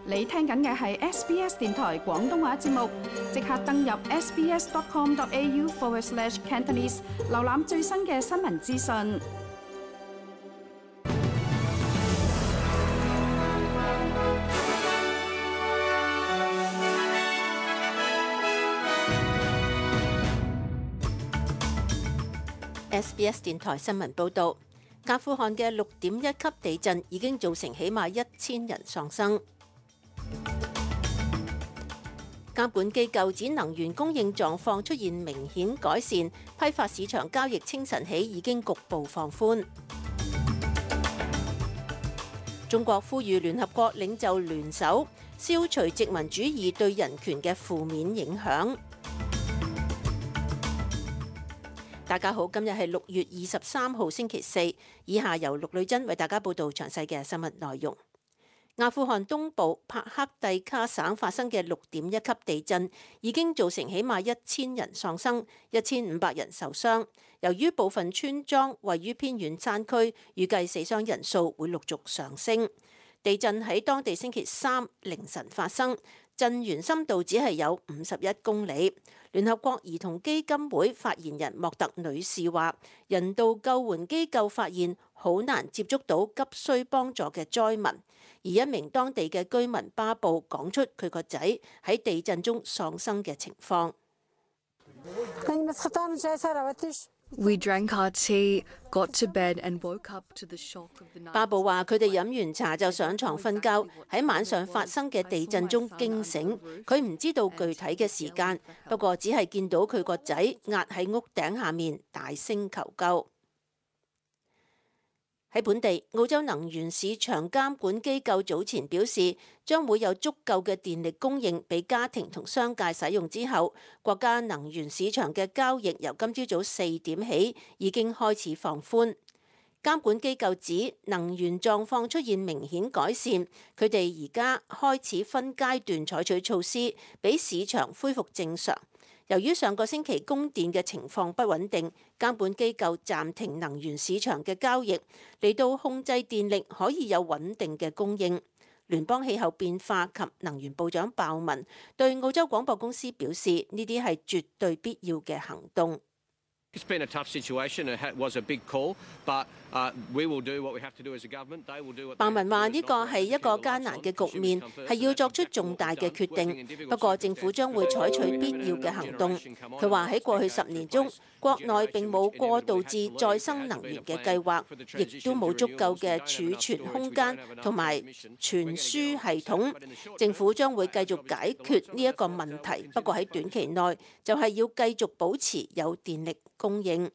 你聽緊嘅係 SBS 電台廣東話節目，即刻登入 sbs.com.au/Cantonese 瀏覽最新嘅新聞資訊。SBS 電台新聞報導，阿富汗嘅6.1級地震已經造成起碼1000人喪生。監管機構指能源供應狀況出現明顯改善，批發市場交易清晨起已經局部放寬。中國呼籲聯合國領袖聯手消除殖民主義對人權嘅負面影響。大家好，今日係6月23號星期四，以下由陸女珍為大家報道詳細嘅新聞內容。阿富汗東部帕克蒂卡省發生嘅6.1級地震已經造成起碼1000人喪生，1500人受傷。由於部分村莊位於偏遠山區，預計死傷人數會陸續上升。地震喺當地星期三凌晨發生，震源深度只係有51公里。聯合國兒童基金會發言人莫特女士話，人道救援機構發現好難接觸到急需幫助嘅災民，而一名當地嘅居民巴布講出佢個仔喺地震中喪生嘅情況。We drank our tea, got to bed and woke up to the shock of the night. 巴布話：佢哋飲完茶就上床瞓覺，喺晚上發生嘅地震中驚醒。佢唔知道具體嘅時間，不過只係見到佢個仔壓喺屋頂下面大聲求救。喺本地，澳洲能源市場監管機構早前表示，將會有足夠嘅電力供應俾家庭同商界使用之後，國家能源市場嘅交易由今朝早4點起已經開始放寬。監管機構指能源狀況出現明顯改善，佢哋而家開始分階段採取措施，俾市場恢復正常。由於上個星期供電嘅情況不穩定，監管機構暫停能源市場嘅交易，嚟到控制電力可以有穩定嘅供應。聯邦氣候變化及能源部長鮑文對澳洲廣播公司表示，呢啲係絕對必要嘅行動。It's been a tough situation. It was a big call, but we will do what we have to do as a government. They will do what. 鮑文話：呢個係一個艱難嘅局面，係要作出重大嘅決定。不過政府將會採取必要嘅行動。佢話喺過去10年中，國內並冇過渡至再生能源嘅計劃，亦都冇足夠嘅儲存空間同埋傳輸系統。政府將會繼續解決呢一個問題，不過喺短期內就係要繼續保持有電力供應。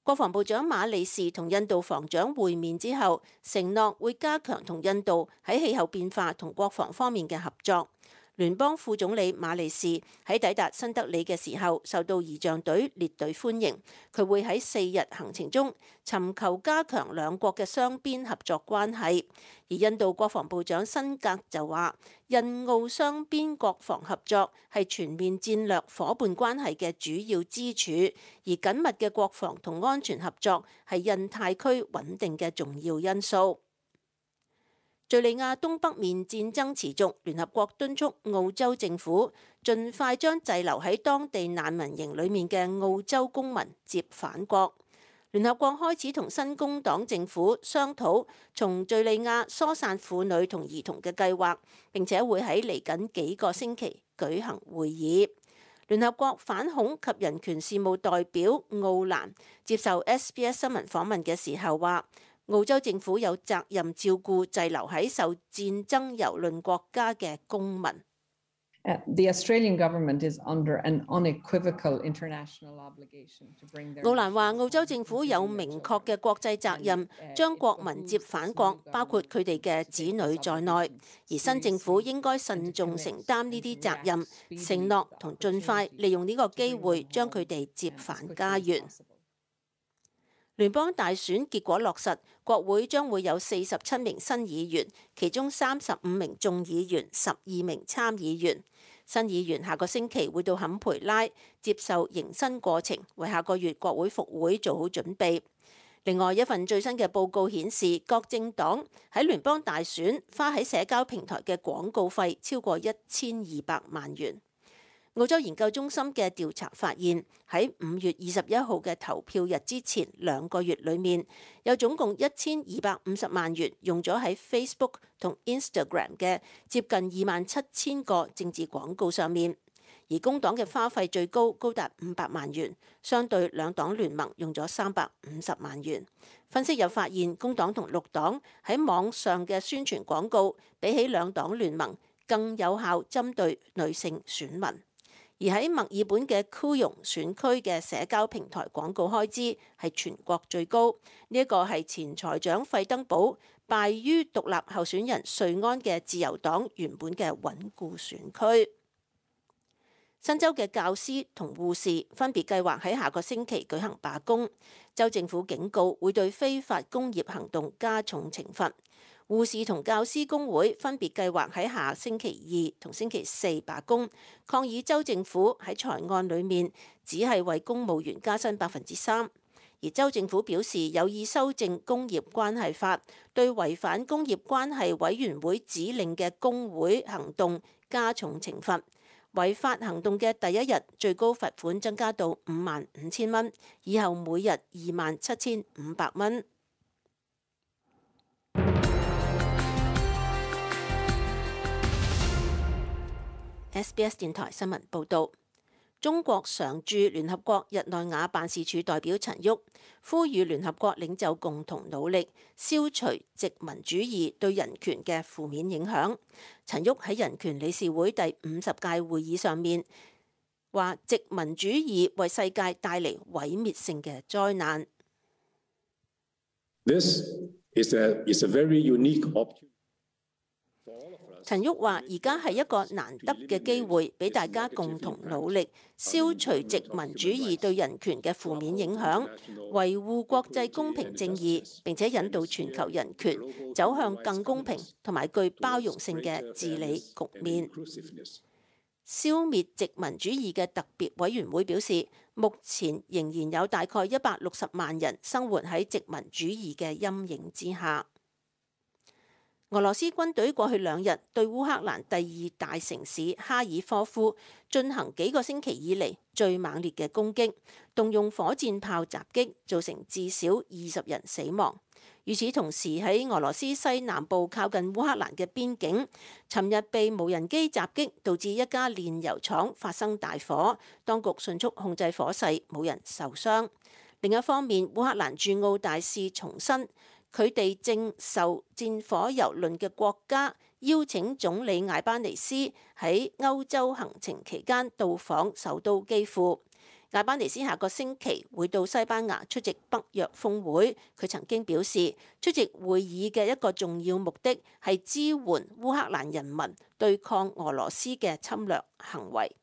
國防部長馬利士同印度防長會面之後，承諾會加強同印度喺氣候變化同國防方面嘅合作。聯邦副總理馬利士喺抵達新德里嘅時候，受到儀仗隊列隊歡迎。佢會喺4日行程中尋求加強兩國嘅雙邊合作關係。而印度國防部長辛格就話，印澳雙邊國防合作係全面戰略夥伴關係嘅主要支柱，而緊密嘅國防同安全合作係印太區穩定嘅重要因素。敘利亞東北面戰爭持續，聯合國敦促澳洲政府盡快將滯留喺當地難民營裡面嘅澳洲公民接返國。聯合國開始同新工黨政府商討從敘利亞疏散婦女同兒童嘅計劃，並且會喺嚟緊幾個星期舉行會議。聯合國反恐及人權事務代表奧蘭接受 SBS 新聞訪問嘅時候話，澳洲政府有責任照顧滯留喺受戰爭蹂躪國家嘅公民。The Australian government is under an unequivocal international obligation to bring their. 奧蘭話：澳洲政府有明確嘅國際責任，將國民接返國，包括佢哋嘅子女在內。而新政府應該慎重承擔呢啲責任，承諾同盡快利用呢個機會將佢哋接返家園。聯邦大選結果落實，國會將會有47名新議員，其中35名眾議員、12名參議員。新議員下個星期會到坎培拉接受迎新過程，為下個月國會復會做好準備。另外一份最新嘅報告顯示，各政黨喺聯邦大選花喺社交平台嘅廣告費超過1200萬元。澳洲研究中心嘅調查發現，喺5月21號嘅投票日之前2個月裏面，有總共1250萬元用咗喺 Facebook 同 Instagram 嘅接近27000個政治廣告上面。而工黨嘅花費最高，高達500萬元，相對兩黨聯盟用咗350萬元。分析又發現，工黨同綠黨喺網上嘅宣傳廣告，比起兩黨聯盟更有效針對女性選民。而喺墨爾本嘅庫容選區嘅社交平台廣告開支係全國最高，呢一個係前財長費登堡敗於獨立候選人瑞安嘅自由黨原本嘅穩固選區。新州嘅教師同護士分別計劃喺下個星期舉行罷工，州政府警告會對非法工業行動加重懲罰。護士同教師工會分別計劃喺下星期2同星期4罷工，抗議州政府喺財案裏面只係為公務員加薪3%。而州政府表示有意修正工業關係法，對違反工業關係委員會指令嘅工會行動加重懲罰。違法行動嘅第一日最高罰款增加到55,000蚊，以後每日27,500蚊。SBS 電台新聞報導，中國常駐聯合國日內瓦辦事處代表陳旭呼籲聯合國領袖共同努力消除殖民主義對人權嘅負面影響。陳旭喺人權理事會第50屆會議上面話，殖民主義為世界帶嚟毀滅性嘅災難。This is a very unique opportunity. 陳旭話：而家係一個難得嘅機會，俾大家共同努力，消除殖民主義對人權嘅負面影響，維護國際公平正義，並且引導全球人權走向更公平同埋具包容性嘅治理局面。消滅殖民主義嘅特別委員會表示，目前仍然有大概160萬人生活喺殖民主義嘅陰影之下。俄羅斯軍隊過去2日對烏克蘭第2大城市哈爾科夫進行幾個星期以嚟最猛烈嘅攻擊，動用火箭炮襲擊，造成至少20人死亡。與此同時，喺俄羅斯西南部靠近烏克蘭嘅邊境，尋日被無人機襲擊，導致一家煉油廠發生大火，當局迅速控制火勢，冇人受傷。另一方面，烏克蘭駐澳大使重申，佢哋正受戰火蹂躪嘅國家邀請總理艾班尼斯喺歐洲行程期間到訪首都基輔。艾班尼斯下個星期會到西班牙出席北約峰會。佢曾經表示，出席會議嘅一個重要目的係支援烏克蘭人民對抗俄羅斯嘅侵略行為。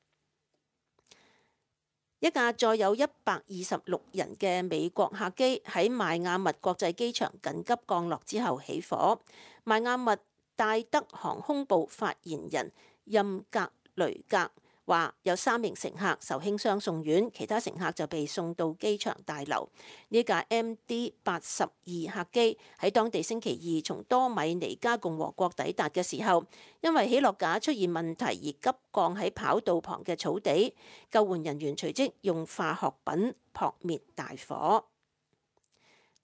一架載有126人嘅美國客機喺邁阿密國際機場緊急降落之後起火。邁阿密戴德航空部發言人任格雷格話，有3名乘客受輕傷送院，其他乘客就被送到機場大樓。呢架 MD-82客機喺當地星期2從多米尼加共和國抵達嘅時候，因為起落架出現問題而急降喺跑道旁嘅草地，救援人員隨即用化學品撲滅大火。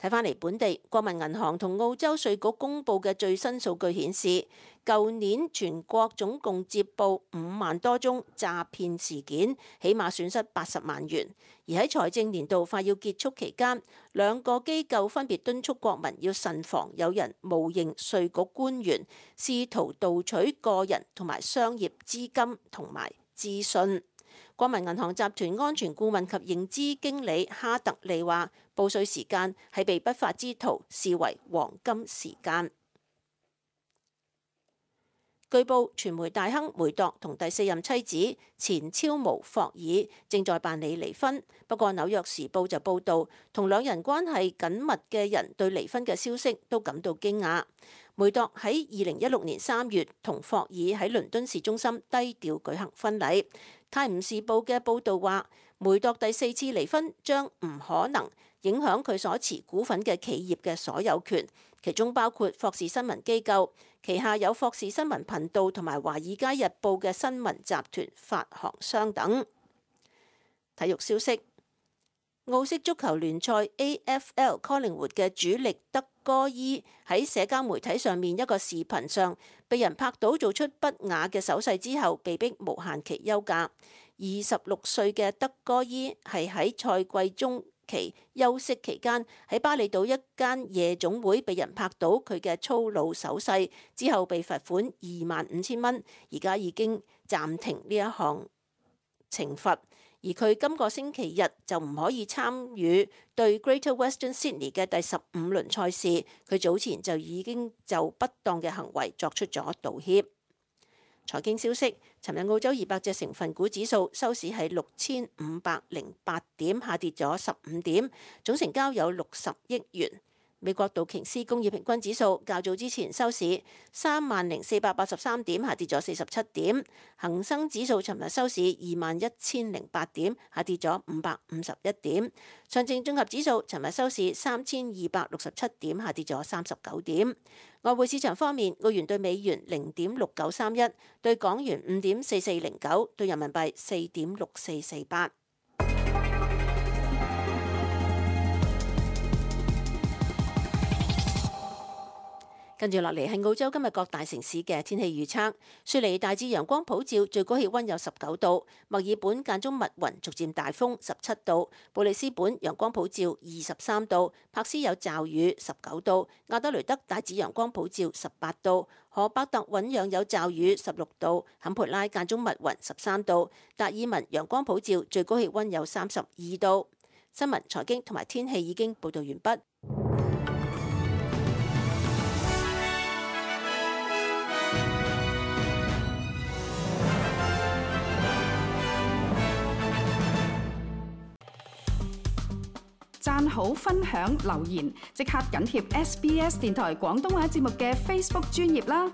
睇返嚟本地，國民銀行同澳洲稅局公佈嘅最新數據顯示，舊年全國總共接報5萬多宗詐騙事件，起碼損失80萬元。而喺財政年度快要結束期間，2個機構分別敦促國民要慎防有人冒認稅局官員，試圖盜取個人同埋商業資金同埋資訊。國民銀行集團安全顧問及認知經理哈特利話，報稅時間係被不法之徒視為黃金時間。據報，傳媒大亨梅鐸同第4任妻子前超模霍爾正在辦理離婚。不過，《紐約時報》就報導，同兩人關係緊密嘅人對離婚嘅消息都感到驚訝。梅鐸喺2016年3月同霍爾喺倫敦市中心低調舉行婚禮。《泰晤士報》嘅報導話，梅鐸第4次離婚將唔可能影響佢所持股份嘅企業嘅所有權，其中包括霍士新聞機構旗下有霍士新聞頻道同埋《華爾街日報》嘅新聞集團發行商等。體育消息。澳式足球聯賽 AFL 科靈活嘅主力德哥伊喺社交媒體上面一個視頻上被人拍到做出不雅嘅手勢之後，被迫無限期休假。26歲嘅德哥伊係喺賽季中期休息期間喺巴厘島一間夜總會被人拍到佢嘅粗魯手勢，之後被罰款25,000蚊，而家已經暫停呢一項懲罰。而佢今個星期日就唔可以參與對 Greater Western Sydney 嘅第15輪賽事。佢早前就已經就不當嘅行為作出咗道歉。財經消息，尋日澳洲200隻成分股指數收市係6508點，下跌咗15點，總成交有60億元。美國道瓊斯工業平均指數較早之前收市30,483點，下跌咗47點。恒生指數尋日收市21,008點，下跌咗551點。上證綜合指數尋日收市3,267點，下跌咗39點。外匯市場方面，澳元對美元0.6931，對港元5.4409，對人民幣4.6448。跟住落嚟係澳洲今日各大城市嘅天氣預測。雪梨大致陽光普照，最高氣溫有19度；墨爾本間中密雲，逐漸大風17度；布里斯本陽光普照23度；柏斯有驟雨19度；亞德雷德大致陽光普照18度；荷伯特醞釀有驟雨16度；坎培拉間中密雲13度；達爾文陽光普照，最高氣溫有32度。新聞、財經同埋天氣已經報導完畢。讚好、分享、留言，即刻緊貼SBS 電台廣東話節目嘅 Facebook 專頁啦！